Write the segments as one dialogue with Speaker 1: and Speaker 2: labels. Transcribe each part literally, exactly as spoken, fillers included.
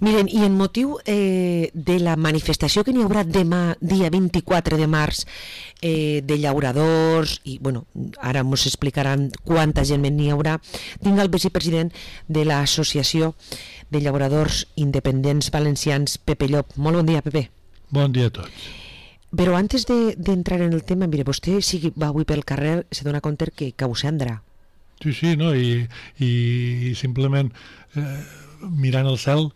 Speaker 1: Miren, i en motiu eh, de la manifestació que n'hi haurà demà, dia vint-i-quatre de març, eh, de llauradors, i bueno, ara ens explicaran quanta gent n'hi haurà, tinc el vicepresident de l'Associació de Llauradors Independents Valencians, Pepe Llop. Molt bon dia, Pepe.
Speaker 2: Bon dia a tots.
Speaker 1: Però antes d'entrar de, en el tema, mire, vostè si va avui pel carrer se dona compte que cau cendra.
Speaker 2: Sí, sí, no? I, i simplement eh, mirant el cel,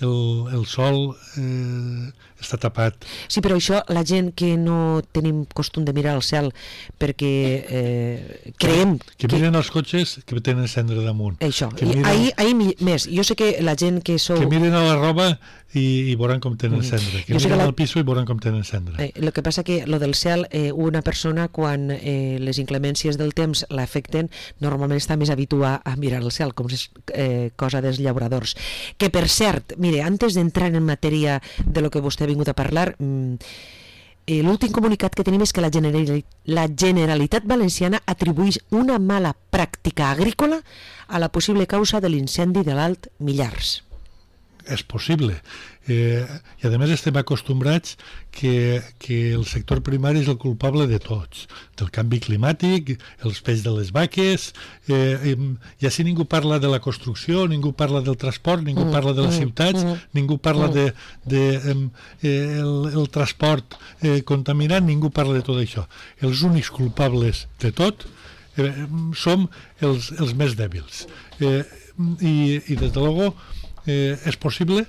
Speaker 2: el, el sol eh, està tapat.
Speaker 1: Sí, però això, la gent que no tenim costum de mirar al cel perquè eh, creiem...
Speaker 2: Que, que miren els cotxes que tenen cendra damunt.
Speaker 1: Això,
Speaker 2: que
Speaker 1: i
Speaker 2: miren,
Speaker 1: ahir, ahir més. Jo sé que la gent que sou...
Speaker 2: Que miren a la roba i, i veuran com tenen cendra. Que
Speaker 1: jo
Speaker 2: miren
Speaker 1: la...
Speaker 2: al piso i veuran com tenen cendra.
Speaker 1: Eh, el que passa que lo del cel, eh, una persona quan eh, les inclemències del temps l'afecten, normalment està més habituada a mirar el cel, com és eh, cosa dels llauradors. Que per cert, mire, antes d'entrar en matèria de lo que vostè ha vingut a parlar, eh, l'últim comunicat que tenim és que la, Generali la Generalitat Valenciana atribueix una mala pràctica agrícola a la possible causa de l'incendi de l'Alt Millars.
Speaker 2: És possible. Eh, I a més estem acostumbrats que, que el sector primari és el culpable de tots, del canvi climàtic, els peix de les vaques, eh, eh, ja si ningú parla de la construcció, ningú parla del transport, ningú mm, parla de les mm, ciutats, mm, ningú parla mm. de, de eh, el, el transport eh, contaminant, ningú parla de tot això. Els únics culpables de tot eh, som els, els més dèbils. Eh, i, i des de luego eh, és possible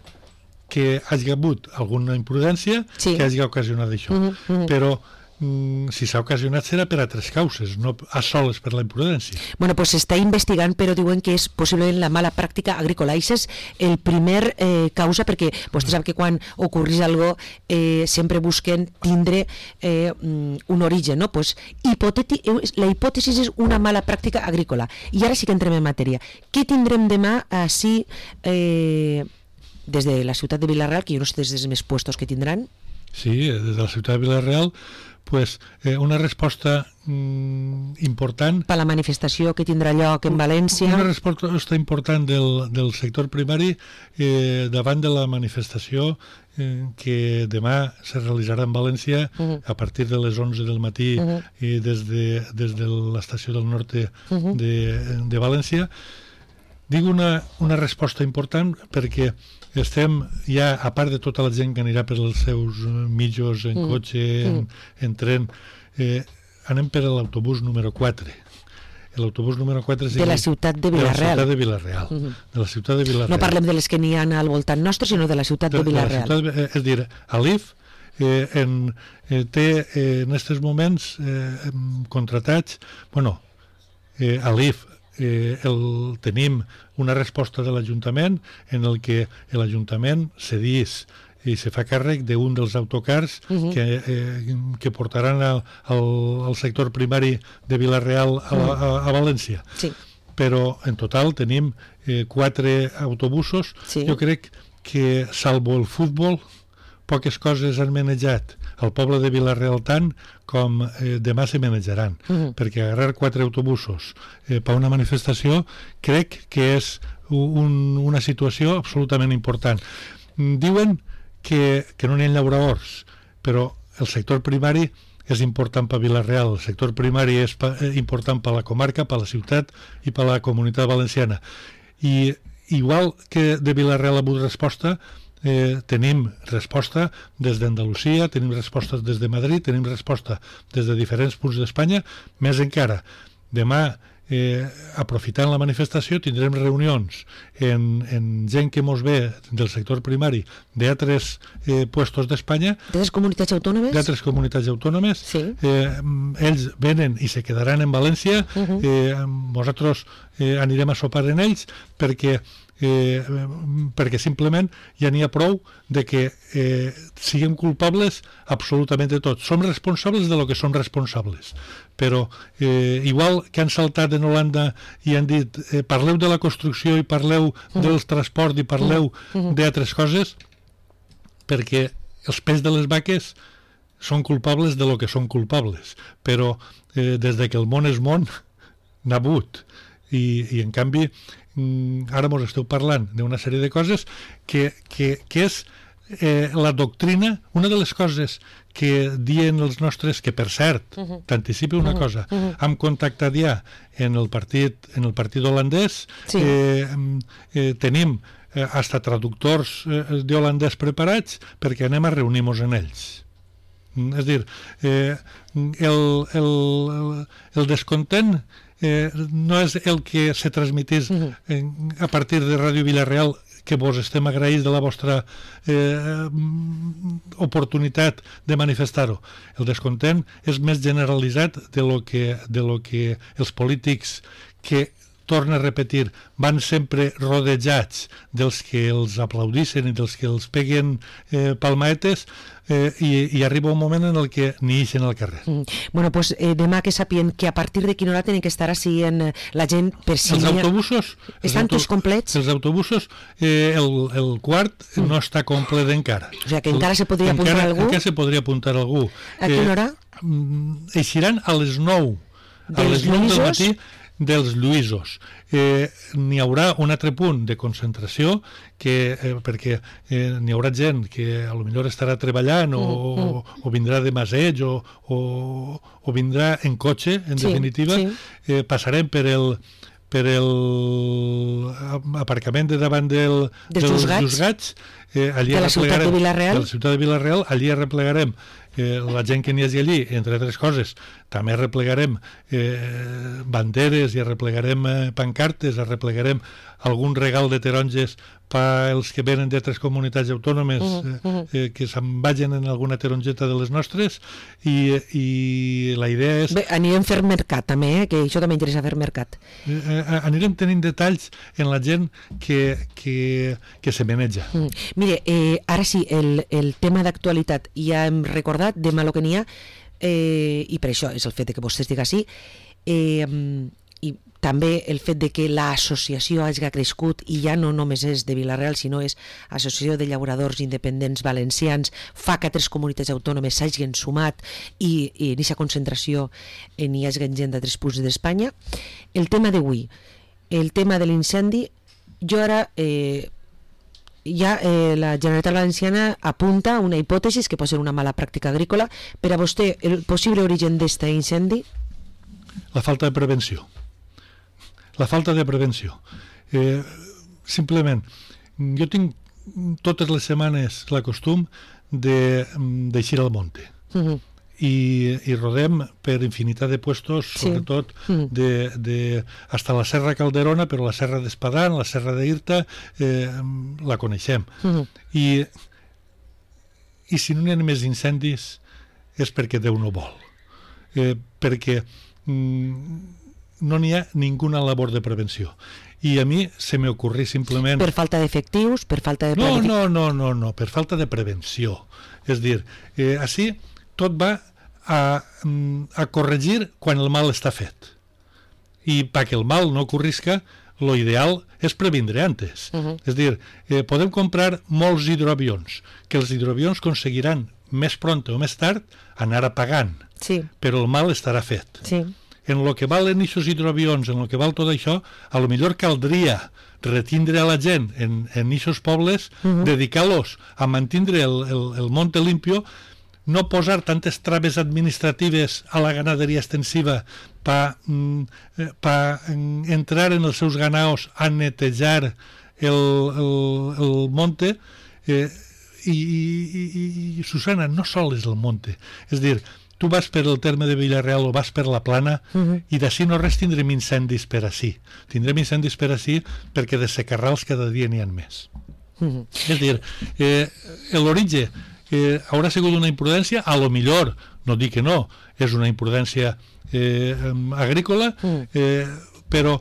Speaker 2: que hagi hagut alguna imprudència sí. que hagi ocasionat això. Uh -huh, uh -huh. Però mm, si s'ha ocasionat serà per altres causes, no a soles per la imprudència.
Speaker 1: Bueno, pues s'està investigant, però diuen que és possiblement la mala pràctica agrícola. Això és el primer eh, causa, perquè vostè sap que quan ocorrís algo eh, sempre busquen tindre eh, un origen, no? Pues, la hipòtesi és una mala pràctica agrícola. I ara sí que entrem en matèria. Què tindrem demà així... Eh, des de la ciutat de Vila-real, que jo no sé des dels més puestos que tindran?
Speaker 2: Sí, des de la ciutat de Vila-real, pues, eh, una resposta mm, important...
Speaker 1: Per la manifestació que tindrà lloc en València.
Speaker 2: Una resposta important del, del sector primari eh, davant de la manifestació eh, que demà se realitzarà en València uh -huh. a partir de les onze del matí uh -huh. i des de, des de l'estació del Norte uh -huh. de, de València. Dic una, una resposta important perquè estem ja, a part de tota la gent que anirà per els seus mitjos en mm. cotxe, en, mm. en tren, eh, anem per l'autobús número quatre. L'autobús número quatre
Speaker 1: de la ciutat de Vila-real.
Speaker 2: De la ciutat de Vila-real. Mm -hmm. De la ciutat de Vila-real.
Speaker 1: No parlem de les que n'hi ha al voltant nostre, sinó de la ciutat de, de Vila-real.
Speaker 2: De la ciutat, eh, és dir, a l'I F eh, en, eh, té eh, en aquests moments eh, contratats, bueno, eh, a l'I F eh, el, tenim una resposta de l'Ajuntament en el que l'Ajuntament cedís i se fa càrrec d'un dels autocars uh -huh. que, eh, que portaran al, al, al sector primari de Vila-real a, a, a València.
Speaker 1: Sí.
Speaker 2: Però en total tenim eh, quatre autobusos.
Speaker 1: Sí.
Speaker 2: Jo crec que, salvo el futbol, poques coses han manejat al poble de Vila-real tant com eh, demà se manejaran, uh -huh. perquè agarrar quatre autobusos eh, per una manifestació crec que és un, una situació absolutament important. Diuen que, que no n'hi ha llauradors, però el sector primari és important per Vila-real, el sector primari és pa, eh, important per la comarca, per la ciutat i per la comunitat valenciana. I igual que de Vila-real ha hagut resposta, Eh, tenim resposta des d'Andalusia, tenim respostes des de Madrid, tenim resposta des de diferents punts d'Espanya, més encara. Demà, eh, aprofitant la manifestació, tindrem reunions en, en gent que mos ve del sector primari d'altres eh, puestos d'Espanya.
Speaker 1: D'altres comunitats autònomes?
Speaker 2: D'altres comunitats autònomes.
Speaker 1: Sí.
Speaker 2: Eh, ells venen i se quedaran en València. Uh -huh. eh, nosaltres eh, anirem a sopar en ells perquè Eh, perquè simplement ja n'hi ha prou de que eh, siguem culpables absolutament de tot. Som responsables de lo que som responsables, però eh, igual que han saltat en Holanda i han dit eh, parleu de la construcció i parleu uh -huh. del transport i parleu uh -huh. d'altres coses, perquè els peix de les vaques són culpables de lo que són culpables, però eh, des de que el món és món n'ha hagut. I, i en canvi ara mos esteu parlant d'una sèrie de coses que, que, que és eh, la doctrina, una de les coses que diuen els nostres, que per cert, uh -huh. t'anticipi una uh -huh. cosa, uh -huh. hem contactat ja en el partit, en el partit holandès, sí. eh, eh, tenim eh, hasta traductors eh, d'holandès preparats perquè anem a reunir-nos en ells. És a dir, eh, el, el, el descontent eh, no és el que se transmitís uh-huh. eh, a partir de Ràdio Vila-real, que vos estem agraïts de la vostra eh, oportunitat de manifestar-ho. El descontent és més generalitzat de lo que, de lo que els polítics que, torna a repetir, van sempre rodejats dels que els aplaudissin i dels que els peguen eh, palmaetes, eh, i, i arriba un moment en el que ni ixen al carrer.
Speaker 1: Mm. Bueno, pues eh, demà que sapien que a partir de quina hora tenen que estar així en la gent per si...
Speaker 2: Els autobusos...
Speaker 1: Estan
Speaker 2: els
Speaker 1: tots complets?
Speaker 2: Els autobusos, eh, el, el quart mm. no està complet encara.
Speaker 1: O sigui que encara el, se podria
Speaker 2: encara,
Speaker 1: apuntar algú?
Speaker 2: Encara se podria apuntar algú.
Speaker 1: A quina eh, hora?
Speaker 2: Eixiran a les nou. A les nou del matí dels Lluïsos. Eh, n'hi haurà un altre punt de concentració que, eh, perquè eh, n'hi haurà gent que a lo millor estarà treballant o, mm, mm. o, o vindrà de maseig o, o, o vindrà en cotxe, en sí, definitiva. Sí. Eh, passarem per el per el aparcament de davant del,
Speaker 1: dels Juzgats,
Speaker 2: eh, allí
Speaker 1: de la ciutat de Vila-real.
Speaker 2: De la ciutat de Vila-real, allí replegarem eh, la gent que n'hi hagi allí, entre altres coses. També replegarem eh, banderes i replegarem eh, pancartes, replegarem algun regal de taronges pels que venen d'altres comunitats autònomes uh -huh. eh, que se'n vagin en alguna tarongeta de les nostres, i, i la idea és...
Speaker 1: Bé, anirem a fer mercat també, eh? Que això també interessa fer mercat.
Speaker 2: Eh, anirem tenint detalls en la gent que, que, que se maneja.
Speaker 1: Mm. Mire, eh, ara sí, el, el tema d'actualitat ja hem recordat, demà lo que n'hi ha, eh, i per això és el fet de que vostè estigui així, eh, i també el fet de que l'associació hagi crescut, i ja no només és de Vila-real, sinó és Associació de Llauradors Independents Valencians, fa que altres comunitats autònomes s'hagin sumat i, i en aquesta concentració n'hi hagi gent d'altres punts d'Espanya. El tema d'avui, el tema de l'incendi, jo ara... Eh, ja eh, la Generalitat Valenciana apunta una hipòtesi que pot ser una mala pràctica agrícola. Per a vostè, el possible origen d'aquest incendi?
Speaker 2: La falta de prevenció. La falta de prevenció. Eh, simplement, jo tinc totes les setmanes la costum de d'eixir al monte. Uh-huh. I, i rodem per infinitat de puestos, sí. Sobretot uh-huh. de, de, hasta la Serra Calderona, però la Serra d'Espadán, la Serra d'Irta, eh, la coneixem. Uh-huh. I, I si no n'hi ha més incendis és perquè Déu no vol. Eh, perquè mm, no n'hi ha ninguna labor de prevenció. I a mi se me ocorrí simplement...
Speaker 1: Per falta d'efectius, per falta de...
Speaker 2: No, no, no, no, no, per falta de prevenció. És dir, eh, així tot va a, a corregir quan el mal està fet. I perquè el mal no ocorrisca, lo ideal és previndre antes. Uh-huh. És dir, eh, podem comprar molts hidroavions, que els hidroavions aconseguiran més pront o més tard anar apagant, sí. Però el mal estarà fet. Sí. En lo que valen aquests hidroavions, en lo que val tot això, a lo millor caldria retindre a la gent en aquests pobles, uh-huh. dedicar-los a mantindre el, el, el monte limpio, no posar tantes traves administratives a la ganaderia extensiva per pa entrar en els seus ganaos a netejar el, el, el monte, eh, i, i, i Susana, no sol és el monte, és dir, tu vas per el terme de Vila-real o vas per la Plana, uh-huh. i d'ací no res tindrem incendis per ací, tindrem incendis per ací perquè de secarrals cada dia n'hi ha més. Uh-huh. És dir, eh, l'origen Eh, haurà sigut una imprudència, a lo millor, no dic que no, és una imprudència eh, agrícola, eh, però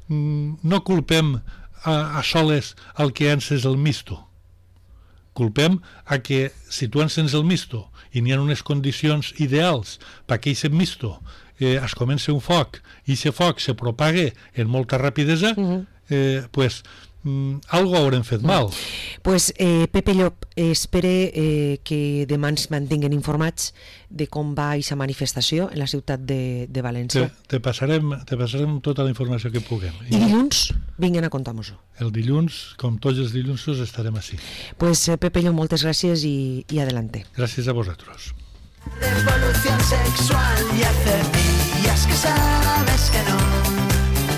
Speaker 2: mm, no culpem a, a soles al que encens el misto. Culpem a que si tu encens el misto i n'hi ha unes condicions ideals perquè aquest misto eh, es comença un foc i aquest foc se propague en molta rapidesa, eh, pues Mm, algo haurem fet mal.
Speaker 1: Pues, eh, Pepe Llop, eh, espere eh, que demà ens mantinguen informats de com va aquesta manifestació en la ciutat de, de València.
Speaker 2: Te, te, passarem, te passarem tota la informació que puguem.
Speaker 1: I dilluns? Vinguen a contar-nos-ho.
Speaker 2: El dilluns, com tots els dilluns, estarem així.
Speaker 1: Pues eh, Pepe Llop, moltes gràcies i, i adelante.
Speaker 2: Gràcies a vosaltres.
Speaker 3: Revolución sexual y hace días que sale